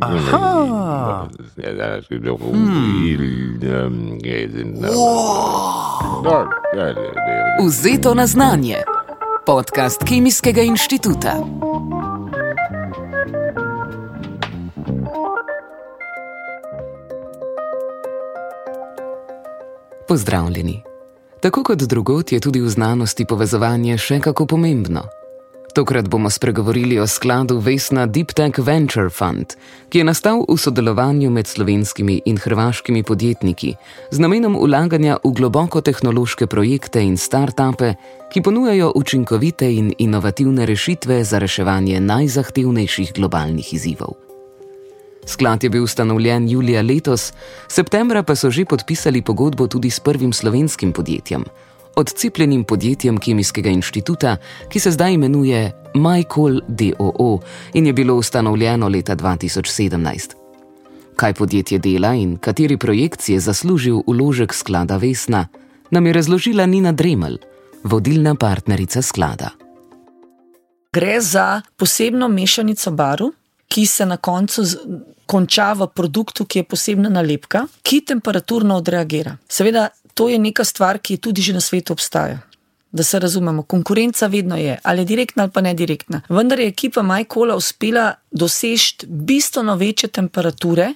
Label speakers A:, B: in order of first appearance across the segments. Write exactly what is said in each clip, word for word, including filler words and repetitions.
A: Aha.
B: Vzeto na znanje. Podcast Kemijskega inštituta. Pozdravljeni. Tako kot drugod je tudi v znanosti povezovanje še kako pomembno. Tokrat bomo spregovorili o skladu Vesna Deep Tech Venture Fund, ki je nastal v sodelovanju med slovenskimi in hrvaškimi podjetniki z namenom vlaganja v globoko tehnološke projekte in start-upe, ki ponujajo učinkovite in inovativne rešitve za reševanje najzahtevnejših globalnih izzivov. Sklad je bil ustanovljen julija letos, septembra pa so že podpisali pogodbo tudi s prvim slovenskim podjetjem, odcepljenim podjetjem Kemijskega inštituta, ki se zdaj imenuje MyCall d. o. o. in je bilo ustanovljeno leta dva tisoč sedemnajst. Kaj podjetje dela in kateri projekt si je zaslužil vložek sklada Vesna, nam je razložila Nina Dremelj, vodilna partnerica sklada.
C: Gre za posebno mešanico barv, ki se na koncu z, konča v produktu, ki je posebna nalepka, ki temperaturno odreagira. Seveda, to je neka stvar, ki tudi že na svetu obstaja. Da se razumemo, konkurenca vedno je, ali direktna ali pa ne direktna. Vendar je ekipa MyCalla uspela doseči bistveno večje temperature,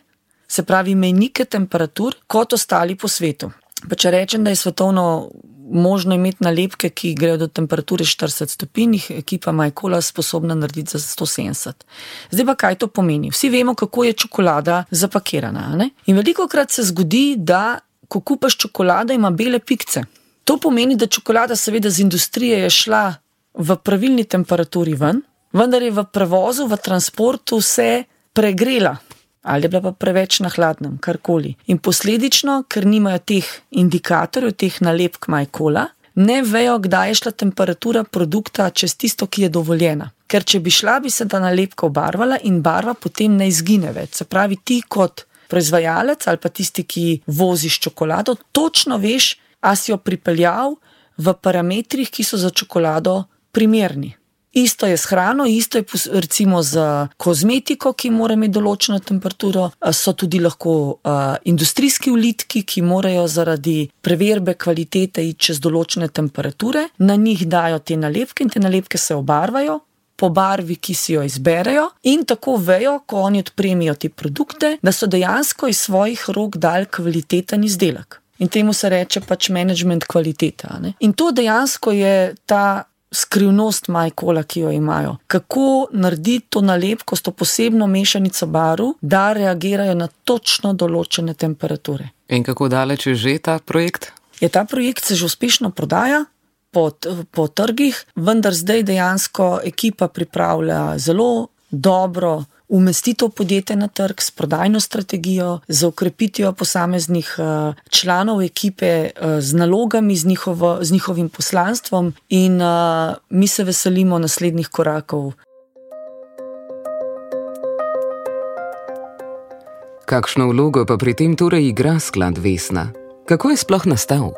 C: se pravi mejnike temperatur, kot ostali po svetu. Pa če rečem, da je svetovno možno imeti nalepke, ki grejo do temperature štirideset stopinj, jih ekipa MyCalla sposobna narediti za sto sedemdeset. Zdaj pa kaj to pomeni? Vsi vemo, kako je čokolada zapakirana, ne? In velikokrat se zgodi, da ko kupaš čokolado, ima bele pikce. To pomeni, da čokolada seveda z industrije je šla v pravilni temperaturi ven, vendar je v prevozu, v transportu se pregrela. Ali je bila pa preveč na hladnem, karkoli. In posledično, ker nimajo teh indikatorjev, teh nalepk MyCalla, ne vejo, kdaj je šla temperatura produkta čez tisto, ki je dovoljena. Ker če bi šla, bi se ta nalepka obarvala in barva potem ne izgine več. Se pravi, ti kot proizvajalec ali pa tisti, ki voziš čokolado, točno veš, a si jo pripeljal v parametrih, ki so za čokolado primerni. Isto je s hrano, isto je recimo z kozmetiko, ki mora imeti določeno temperaturo, so tudi lahko uh, industrijski vlitki, ki morajo zaradi preverbe kvalitete iti čez določene temperature, na njih dajo te nalepke in te nalepke se obarvajo po barvi, ki si jo izberejo in tako vejo, ko oni odpremijo te produkte, da so dejansko iz svojih rok dali kvaliteten izdelek. In temu se reče pač management kvaliteta. Ne? In to dejansko je ta skrivnost MyCalla, ki jo imajo. Kako narediti to nalepko s to posebno mešanico barv, da reagirajo na točno določene temperature.
B: In kako daleč je že ta projekt?
C: Je ta projekt se že uspešno prodaja po, po trgih, vendar zdaj dejansko ekipa pripravlja zelo dobro umestitev podjetja na trg s prodajno strategijo, z okrepitvijo posameznih uh, članov ekipe, uh, z nalogami, z, njihovo, z njihovim poslanstvom in uh, mi se veselimo naslednjih korakov.
B: Kakšno vlogo pa pri tem torej igra sklad Vesna? Kako je sploh nastal?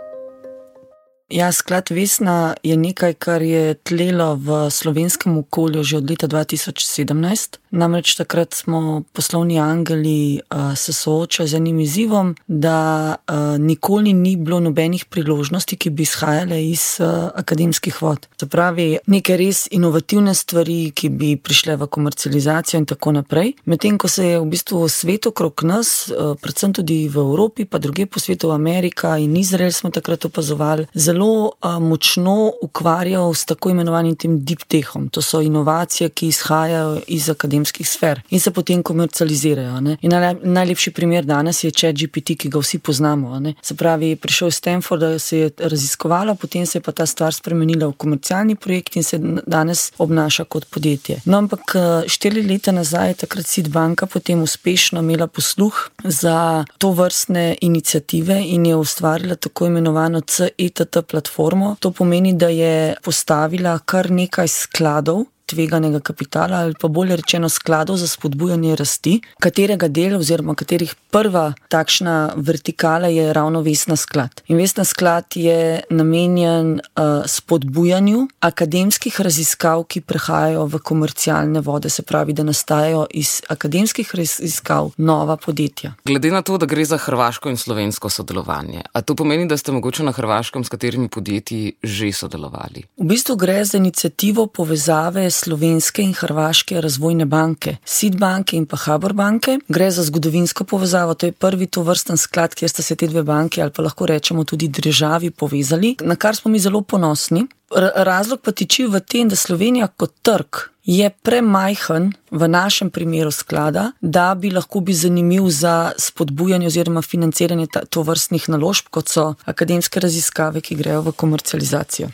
C: Ja, sklad Vesna je nekaj, kar je tlelo v slovenskem okolju že od leta dva tisoč sedemnajst. Namreč takrat smo poslovni angeli uh, se soočali z enim izzivom, da uh, nikoli ni bilo nobenih priložnosti, ki bi izhajale iz uh, akademskih vod. Se pravi, neke res inovativne stvari, ki bi prišle v komercializacijo in tako naprej. Medtem, ko se je v bistvu svet okrog nas, uh, predvsem tudi v Evropi, pa druge po svetu, Amerika in Izrael smo takrat opazovali, zelo uh, močno ukvarjal s tako imenovanim tem deep techom. To so inovacije, ki izhajajo iz akademskih sfer in se potem komercializirajo. Ne? In najlepši primer danes je ChatGPT, ki ga vsi poznamo. Ne? Se pravi, prišel iz Stanforda, se je raziskovalo, potem se je pa ta stvar spremenila v komercialni projekt in se danes obnaša kot podjetje. No, ampak štiri leta nazaj, takrat Seed banka potem uspešno imela posluh za to vrstne iniciative in je ustvarila tako imenovano C E T T platformo. To pomeni, da je postavila kar nekaj skladov tveganega kapitala ali pa bolje rečeno skladov za spodbujanje rasti, katerega del oziroma katerih prva takšna vertikala je ravno Vesna sklad. In Vesna sklad je namenjen uh, spodbujanju akademskih raziskav, ki prehajajo v komercialne vode, se pravi, da nastajajo iz akademskih raziskav nova podjetja.
B: Glede na to, da gre za hrvaško in slovensko sodelovanje, a to pomeni, da ste mogoče na Hrvaškem s katerimi podjetji že sodelovali?
C: V bistvu gre za inicijativo povezave slovenske in hrvaške razvojne banke, SID banke in pa Habor banke. Gre za zgodovinsko povezavo, to je prvi tovrsten sklad, kjer sta se te dve banke ali pa lahko rečemo tudi državi povezali, na kar smo mi zelo ponosni. Razlog pa tiči v tem, da Slovenija kot trg je premajhen v našem primeru sklada, da bi lahko bil zanimiv za spodbujanje oziroma financiranje tovrstnih naložb, kot so akademske raziskave, ki grejo v komercializacijo.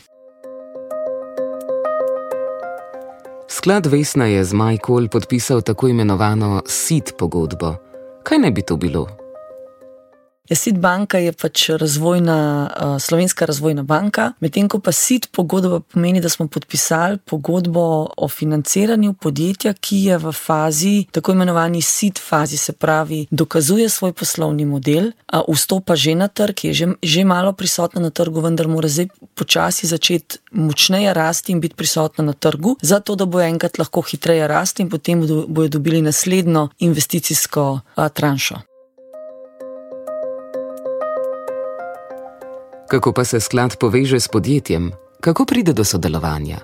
B: Sklad Vesna je z MyCall podpisal tako imenovano SID pogodbo. Kaj naj bi to bilo?
C: SID banka je pač razvojna, uh, slovenska razvojna banka, medtem ko pa SID pogodba pomeni, da smo podpisali pogodbo o financiranju podjetja, ki je v fazi, tako imenovani SID fazi, se pravi, dokazuje svoj poslovni model, uh, vstopa že na trg, je že, že malo prisotna na trgu, vendar mora zdaj počasi začeti močneje rasti in biti prisotna na trgu, zato da bo enkrat lahko hitreje rasti in potem bodo dobili naslednjo investicijsko uh, tranšo.
B: Kako pa se sklad poveže s podjetjem? Kako pride do sodelovanja?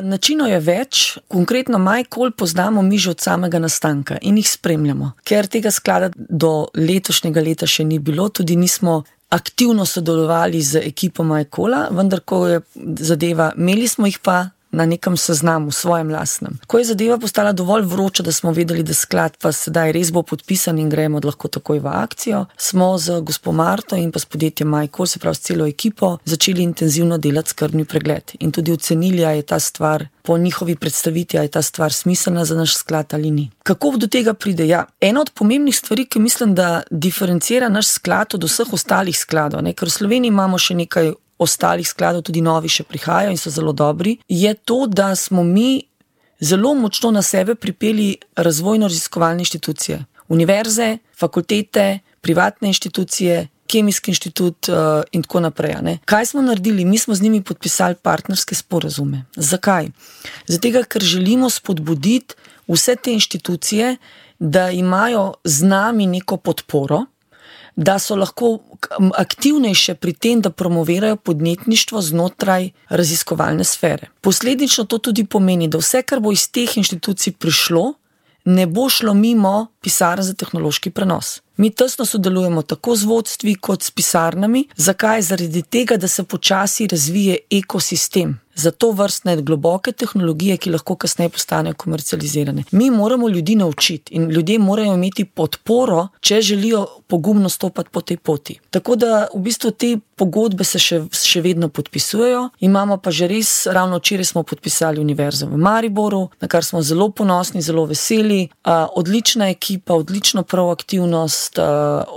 C: Načinov je več. Konkretno MyCall poznamo mi že od samega nastanka in jih spremljamo. Ker tega sklada do letošnjega leta še ni bilo, tudi nismo aktivno sodelovali z ekipo MyCalla, vendar ko je zadeva, imeli smo jih pa na nekem seznamu, svojem lastnem. Ko je zadeva postala dovolj vroča, da smo vedeli, da sklad pa sedaj res bo podpisan in gremo lahko takoj v akcijo, smo z gospo Marto in pa s podjetjem MyCall, se pravi s celo ekipo, začeli intenzivno delati skrbni pregled in tudi ocenili, a je ta stvar po njihovi predstavitvi, a je ta stvar smiselna za naš sklad ali ni. Kako do tega pride? Ja, ena od pomembnih stvari, ki mislim, da diferencira naš sklad od vseh ostalih skladov, ne? Ker v Sloveniji imamo še nekaj ostalih skladov, tudi novi še prihajajo in so zelo dobri, je to, da smo mi zelo močno na sebe pripeli razvojno-raziskovalne inštitucije. Univerze, fakultete, privatne inštitucije, Kemijski inštitut uh, in tako naprej. Ne? Kaj smo naredili? Mi smo z njimi podpisali partnerske sporazume. Zakaj? Zato, ker želimo spodbuditi vse te inštitucije, da imajo z nami neko podporo, da so lahko aktivnejše pri tem, da promovirajo podjetništvo znotraj raziskovalne sfere. Posledično to tudi pomeni, da vse, kar bo iz teh inštitucij prišlo, ne bo šlo mimo pisarn za tehnološki prenos. Mi tesno sodelujemo tako z vodstvi kot s pisarnami. Zakaj? Zaradi tega, da se počasi razvije ekosistem za to vrstne globoke tehnologije, ki lahko kasneje postanejo komercializirane. Mi moramo ljudi naučiti in ljudje morajo imeti podporo, če želijo pogumno stopati po tej poti. Tako da v bistvu te pogodbe se še, še vedno podpisujejo. Imamo pa že res, ravno včeraj smo podpisali Univerzo v Mariboru, na kar smo zelo ponosni, zelo veseli. Uh, odlična ekipa, odlično proaktivnost, uh,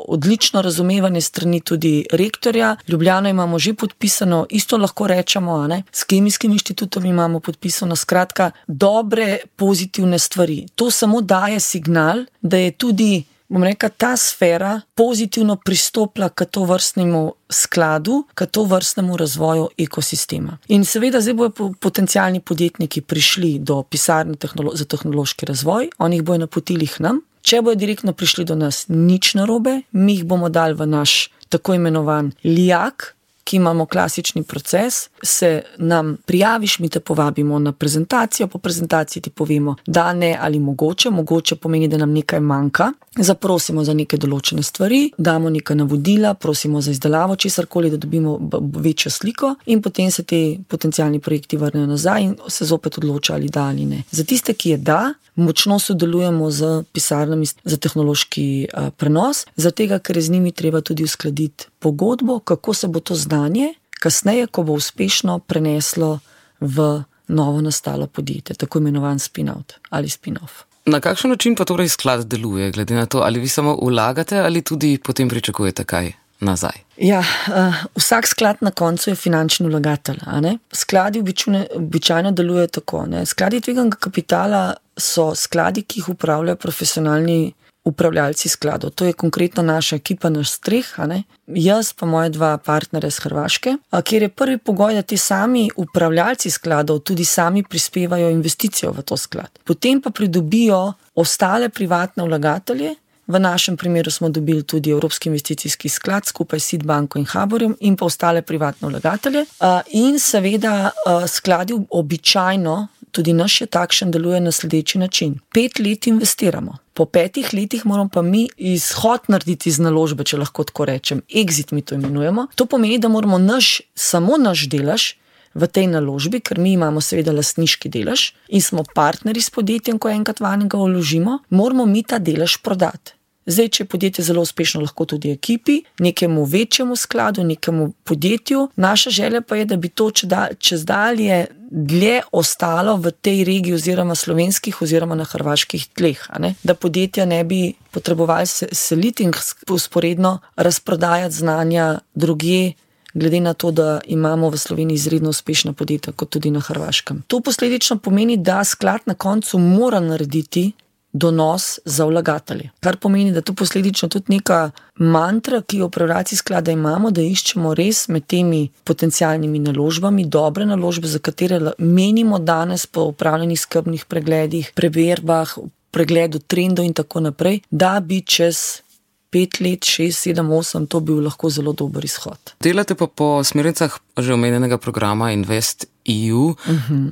C: odlično razumevanje strani tudi rektorja. Ljubljano imamo že podpisano, isto lahko rečemo, a ne? S Kemijskim inštitutom imamo podpisano, skratka, dobre, pozitivne stvari. To samo daje signal, da je tudi, bom rekla, ta sfera pozitivno pristopila k to vrstnemu skladu, k to vrstnemu razvoju ekosistema. In seveda zdaj bojo potencialni podjetniki prišli do pisarne tehnolo- za tehnološki razvoj, oni jih bojo napotili k nam. Če bojo direktno prišli do nas, nič narobe, mi jih bomo dali v naš tako imenovan lijak, ki imamo klasični proces, se nam prijaviš, mi te povabimo na prezentacijo, po prezentaciji ti povemo, da ne ali mogoče, mogoče pomeni, da nam nekaj manjka, zaprosimo za neke določene stvari, damo neka navodila, prosimo za izdelavo česarkoli, da dobimo večjo sliko in potem se te potencialni projekti vrnejo nazaj in se zopet odloča ali da ali ne. Za tiste, ki je da, močno sodelujemo z pisarnami za tehnološki uh, prenos, zato ker je z njimi treba tudi uskladiti pogodbo, kako se bo to znanje kasneje, ko bo uspešno preneslo v novo nastalo podjetje, tako imenovan spin-out ali spin-off.
B: Na kakšen način pa torej sklad deluje, glede na to, ali vi samo vlagate ali tudi potem pričakujete kaj nazaj?
C: Ja, uh, vsak sklad na koncu je finančni vlagatelj. A ne? Skladi običajno, običajno delujejo tako. Ne? Skladi tveganega kapitala so skladi, ki jih upravljajo profesionalni upravljalci skladov. To je konkretno naša ekipa, naš streh, a ne? Jaz pa moje dva partnerja z Hrvaške, a kjer je prvi pogoj, da ti sami upravljalci skladov tudi sami prispevajo investicijo v to sklad. Potem pa pridobijo ostale privatne vlagatelje. V našem primeru smo dobili tudi Evropski investicijski sklad skupaj s Seed banko in Haborjem in pa ostale privatne vlagatelje. In seveda skladi običajno, tudi naš je takšen, deluje na sledeči način. Pet let investiramo. Po petih letih moramo pa mi izhod narediti iz naložbe, če lahko tako rečem. Exit mi to imenujemo. To pomeni, da moramo naš, samo naš delež v tej naložbi, ker mi imamo seveda lastniški delež in smo partneri s podjetjem, ko enkrat vanjega vložimo, moramo mi ta delež prodati. Zdaj, če je podjetje zelo uspešno, lahko tudi ekipi, nekemu večjemu skladu, nekemu podjetju. Naša želja pa je, da bi to čez dalje dlje ostalo v tej regiji oziroma slovenskih oziroma na hrvaških tleh. A ne? Da podjetja ne bi potrebovali seliti in usporedno razprodajati znanja drugje, glede na to, da imamo v Sloveniji izredno uspešna podjetja, kot tudi na Hrvaškem. To posledično pomeni, da sklad na koncu mora narediti donos za vlagatelje. Kar pomeni, da to posledično tudi neka mantra, ki jo upravljalci sklada imamo, da iščemo res med temi potencialnimi naložbami, dobre naložbe, za katere menimo danes po upravljenih skrbnih pregledih, preverbah, pregledu trendov in tako naprej, da bi čez pet let, šest, sedem, osem, to bil lahko zelo dober izhod.
B: Delate pa po smernicah že omenjenega programa InvestEU. Uh-huh.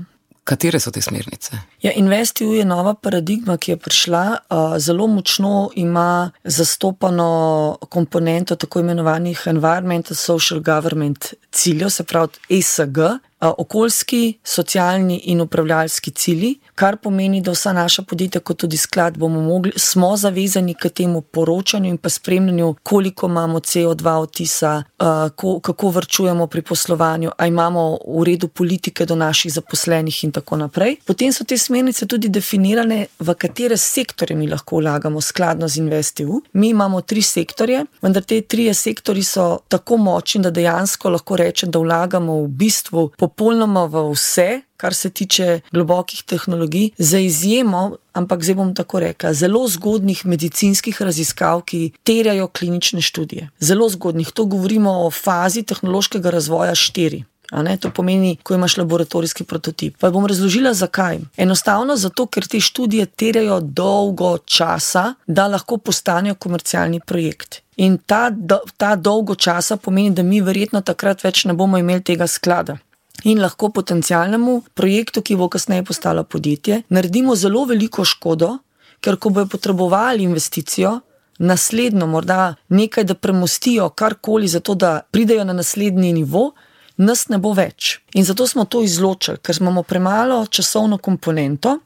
B: Katere so te smernice?
C: Ja, InvestEU je nova paradigma, ki je prišla, uh, zelo močno ima zastopano komponento tako imenovanih Environmental Social Government ciljev, se pravi E S G, uh, okoljski, socialni in upravljalski cilji, kar pomeni, da vsa naša podjetja, kot tudi sklad, bomo mogli, smo zavezani k temu poročanju in pa spremljanju, koliko imamo C O dva odtisa, uh, ko, kako varčujemo pri poslovanju, a imamo v redu politike do naših zaposlenih in tako naprej. Potem so te smernice tudi definirane, v katere sektorje mi lahko vlagamo skladno z InvestEU. Mi imamo tri sektorje, vendar te trije sektorji so tako močni, da dejansko lahko rečem, da vlagamo v bistvu popolnoma v vse, kar se tiče globokih tehnologij, za izjemo, ampak zdaj bom tako rekla, zelo zgodnih medicinskih raziskav, ki terjajo klinične študije. Zelo zgodnih, to govorimo o fazi tehnološkega razvoja štiri. A ne, to pomeni, ko imaš laboratorijski prototip. Pa bom razložila, zakaj. Enostavno zato, ker te študije terjajo dolgo časa, da lahko postanejo komercialni projekt. In ta, ta dolgo časa pomeni, da mi verjetno takrat več ne bomo imeli tega sklada. In lahko potencialnemu projektu, ki bo kasneje postalo podjetje, naredimo zelo veliko škodo, ker ko bojo potrebovali investicijo, naslednjo morda nekaj, da premostijo karkoli za to, da pridejo na naslednji nivo, nas ne bo več. In zato smo to izločili, ker imamo premalo časovno komponento,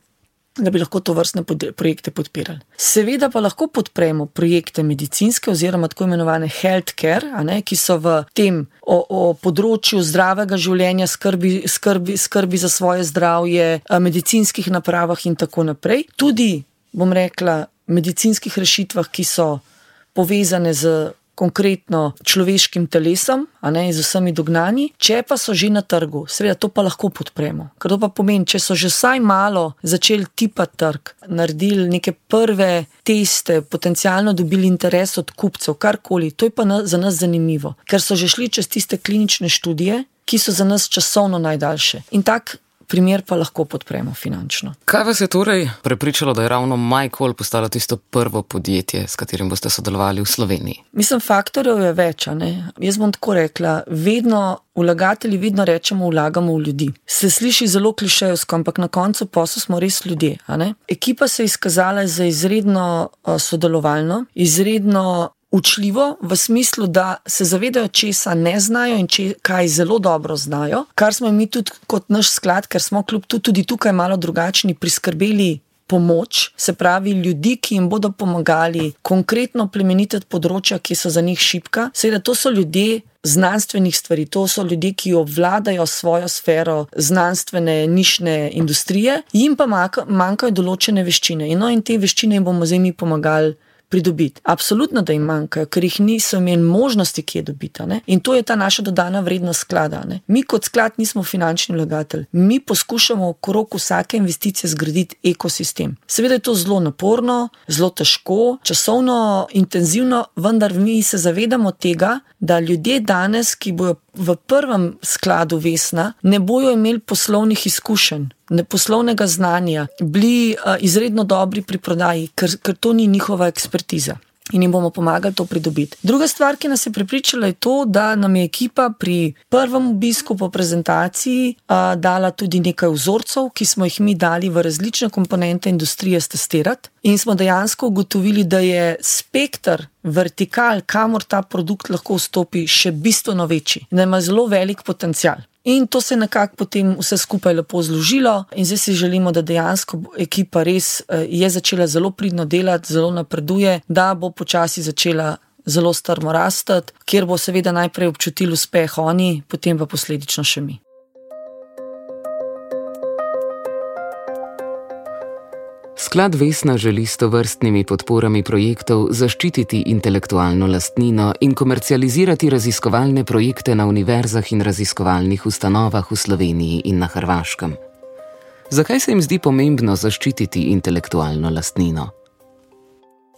C: da bi lahko to vrstne projekte podpirali. Seveda pa lahko podpremo projekte medicinske oziroma tako imenovane healthcare, a ne, ki so v tem o, o področju zdravega življenja, skrbi, skrbi, skrbi za svoje zdravje, medicinskih napravah in tako naprej. Tudi, bom rekla, medicinskih rešitvah, ki so povezane z konkretno človeškim telesom, a ne, z vsemi dognanji, če pa so že na trgu, seveda to pa lahko podpremo. Ker to pa pomeni, če so že vsaj malo začeli tipati trg, naredili neke prve teste, potencialno dobili interes od kupcev, karkoli, to je pa na, za nas zanimivo, ker so že šli čez tiste klinične študije, ki so za nas časovno najdaljše. In tak primer pa lahko podpremo finančno.
B: Kaj vas je torej prepričalo, da je ravno MyCall postalo tisto prvo podjetje, s katerim boste sodelovali v Sloveniji?
C: Mislim, faktorjev je več, a ne? Jaz bom tako rekla, vedno vlagatelji vedno rečemo, vlagamo v ljudi. Se sliši zelo klišejevsko, ampak na koncu posla smo res ljudje, a ne? Ekipa se je izkazala za izredno uh, sodelovalno, izredno učljivo v smislu, da se zavedajo, česa ne znajo in če, kaj zelo dobro znajo, kar smo mi tudi kot naš sklad, ker smo kljub tudi tukaj malo drugačni, priskrbeli pomoč, se pravi ljudi, ki jim bodo pomagali konkretno plemenititi področja, ki so za njih šibka. Seveda to so ljudje znanstvenih stvari, to so ljudje, ki obvladajo svojo sfero znanstvene nišne industrije, jim pa manjkajo določene veščine. In, no, in te veščine jim bomo zdaj mi pomagali pridobiti. Absolutno, da jim manjkajo, ker jih niso imeli možnosti, kje dobiti. Ne? In to je ta naša dodana vrednost sklada. Ne? Mi kot sklad nismo finančni vlagatelj. Mi poskušamo okrog vsake investicije zgraditi ekosistem. Seveda je to zelo naporno, zelo težko, časovno intenzivno, vendar mi se zavedamo tega, da ljudje danes, ki bojo v prvem skladu Vesna, ne bojo imeli poslovnih izkušenj, ne poslovnega znanja, bili uh, izredno dobri pri prodaji, ker, ker to ni njihova ekspertiza. In jim bomo pomagali to pridobiti. Druga stvar, ki nas je prepričala, je to, da nam je ekipa pri prvem obisku po prezentaciji a, dala tudi nekaj vzorcev, ki smo jih mi dali v različne komponente industrije testirati. In smo dejansko ugotovili, da je spekter vertikal, kamor ta produkt lahko vstopi, še bistveno večji. Da ima zelo velik potencial. In to se je nekako potem vse skupaj lepo zložilo in zdaj si želimo, da dejansko ekipa res je začela zelo pridno delati, zelo napreduje, da bo počasi začela zelo strmo rastati, kjer bo seveda najprej občutili uspeh oni, potem pa posledično še mi.
B: Sklad Vesna želi s tovrstnimi podporami projektov zaščititi intelektualno lastnino in komercializirati raziskovalne projekte na univerzah in raziskovalnih ustanovah v Sloveniji in na Hrvaškem. Zakaj se jim zdi pomembno zaščititi intelektualno lastnino?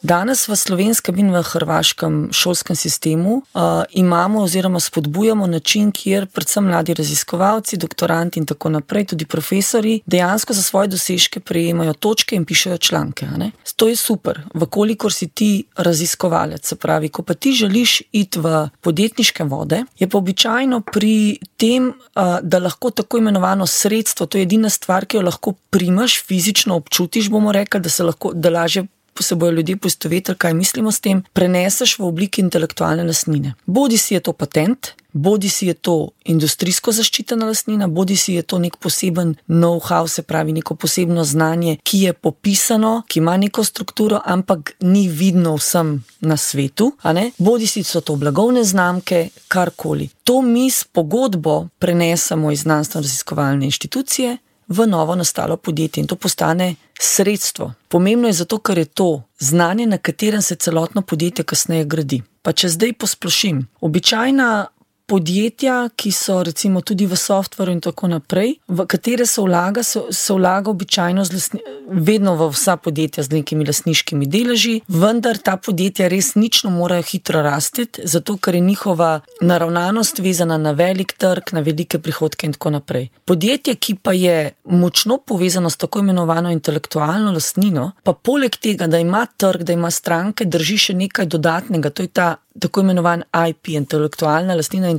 C: Danes v slovenskem in v hrvaškem šolskem sistemu uh, imamo oziroma spodbujamo način, kjer predvsem mladi raziskovalci, doktoranti in tako naprej, tudi profesori, dejansko za svoje dosežke prejemajo točke in pišejo članke. Ne? To je super, vkolikor si ti raziskovalec, se pravi, ko pa ti želiš iti v podjetniške vode, je pa običajno pri tem, uh, da lahko tako imenovano sredstvo, to je edina stvar, ki jo lahko primaš, fizično občutiš, bomo rekli, da se lahko, da lažje se bojo ljudje poistovetili, kaj mislimo s tem, preneseš v obliki intelektualne lastnine. Bodi si je to patent, bodi si je to industrijsko zaščitena lastnina, bodi si je to nek poseben know-how, se pravi neko posebno znanje, ki je popisano, ki ima neko strukturo, ampak ni vidno vsem na svetu, a ne? Bodi si so to blagovne znamke, karkoli. To mi s pogodbo prenesemo iz znanstveno-raziskovalne inštitucije v novo nastalo podjetje in to postane sredstvo. Pomembno je zato, ker je to znanje, na katerem se celotno podjetje kasneje gradi. Pa če zdaj posplošim, običajna podjetja, ki so recimo tudi v softveru in tako naprej, v katere se vlaga, se, se vlaga običajno z lasni, vedno v vsa podjetja z nekimi lastniškimi deleži, vendar ta podjetja res nično morajo hitro rasteti, zato ker je njihova naravnanost vezana na velik trg, na velike prihodke in tako naprej. Podjetje, ki pa je močno povezano s tako imenovano intelektualno lastnino, pa poleg tega, da ima trg, da ima stranke, drži še nekaj dodatnega, to je ta tako imenovan I P, intelektualna lastnina,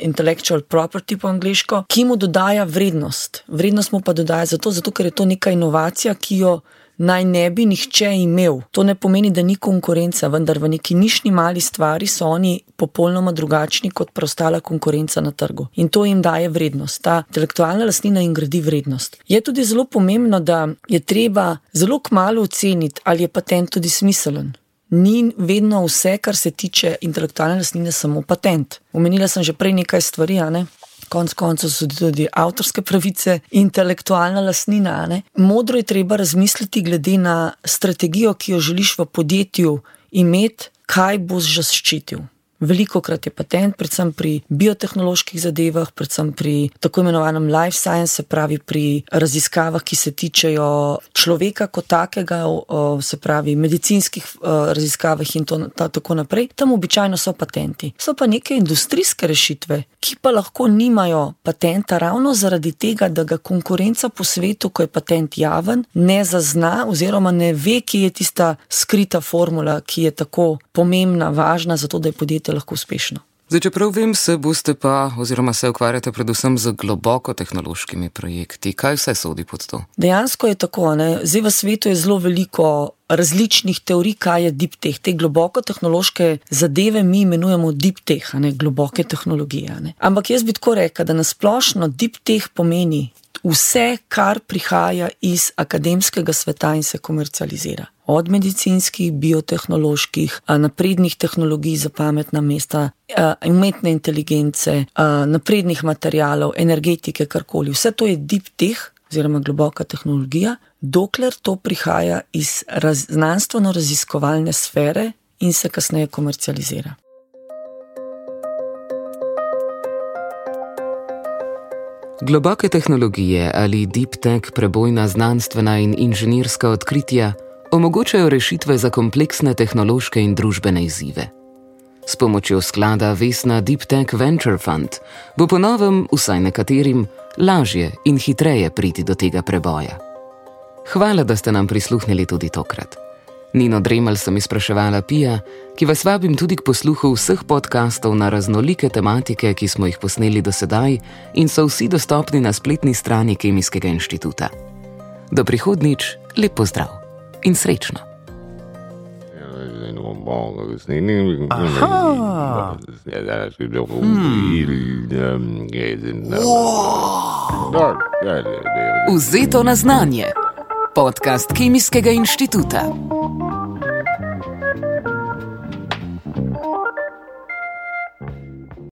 C: intellectual property po angleško, ki mu dodaja vrednost. Vrednost mu pa dodaja zato, zato ker je to neka inovacija, ki jo naj ne bi nihče imel. To ne pomeni, da ni konkurenca, vendar v neki nišni mali stvari so oni popolnoma drugačni kot preostala konkurenca na trgu. In to jim daje vrednost. Ta intelektualna lastnina jim gradi vrednost. Je tudi zelo pomembno, da je treba zelo kmalu oceniti, ali je patent tudi smiselen. Ni vedno vse, kar se tiče intelektualne lastnine, samo patent. Omenila sem že prej nekaj stvari, a ne? Konc koncev so tudi avtorske pravice, intelektualna lastnina, a ne? Modro je treba razmisliti glede na strategijo, ki jo želiš v podjetju imeti, kaj boš zaščitil. Velikokrat je patent, predvsem pri biotehnoloških zadevah, predvsem pri tako imenovanem life science, se pravi pri raziskavah, ki se tičejo človeka kot takega, se pravi medicinskih raziskavah in to, ta, tako naprej. Tam običajno so patenti. So pa neke industrijske rešitve, ki pa lahko nimajo patenta ravno zaradi tega, da ga konkurenca po svetu, ko je patent javen, ne zazna oziroma ne ve, kje je tista skrita formula, ki je tako pomembna, važna, zato da je podjetje lahko uspešno.
B: Zdaj, čeprav vem, se boste pa oziroma se ukvarjate predvsem z globoko tehnološkimi projekti. Kaj vse sodi pod to?
C: Dejansko je tako, ne? Zdaj v svetu je zelo veliko različnih teorij, kaj je deep tech. Te globoko tehnološke zadeve mi imenujemo deep tech, ne? Globoke tehnologije. Ne? Ampak jaz bi tako rekel, da nasplošno deep tech pomeni vse, kar prihaja iz akademskega sveta in se komercializira. Od medicinskih, biotehnoloških, naprednih tehnologij za pametna mesta, umetne inteligence, naprednih materialov, energetike, karkoli. Vse to je deep tech, oziroma globoka tehnologija, dokler to prihaja iz raz, znanstveno-raziskovalne sfere in se kasneje komercializira.
B: Globoke tehnologije ali deep tech prebojna znanstvena in inženirska odkritja omogočajo rešitve za kompleksne tehnološke in družbene izzive. S pomočjo sklada Vesna Deep Tech Venture Fund bo po novem, vsaj nekaterim, lažje in hitreje priti do tega preboja. Hvala, da ste nam prisluhnili tudi tokrat. Nino Dremelj sem izpraševala Pija, ki vas vabim tudi k posluhu vseh podkastov na raznolike tematike, ki smo jih posneli do sedaj in so vsi dostopni na spletni strani Kemijskega inštituta. Do prihodnjič, lep pozdrav in srečno!
A: Aha!
B: Vzeto na znanje. Podcast Kemijskega inštituta.